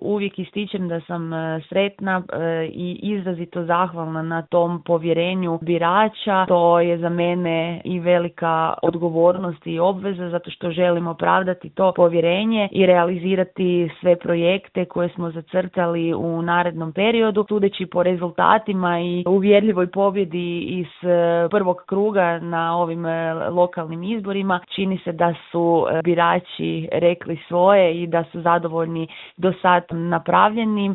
uvijek ističem da sam sretna i izrazito zahvalna na tom povjerenju birača. To je za mene i velika odgovornost i obveza zato što želim opravdati to povjerenje i realizirati sve projekte koje smo zacrtali u narednom periodu. Sudeći po rezultatima i uvjerljivoj pobjedi iz prvog kruga na ovim lokalnim izborima, čini se da su birači rekli svoje i da su zadovoljni do sad napravljenim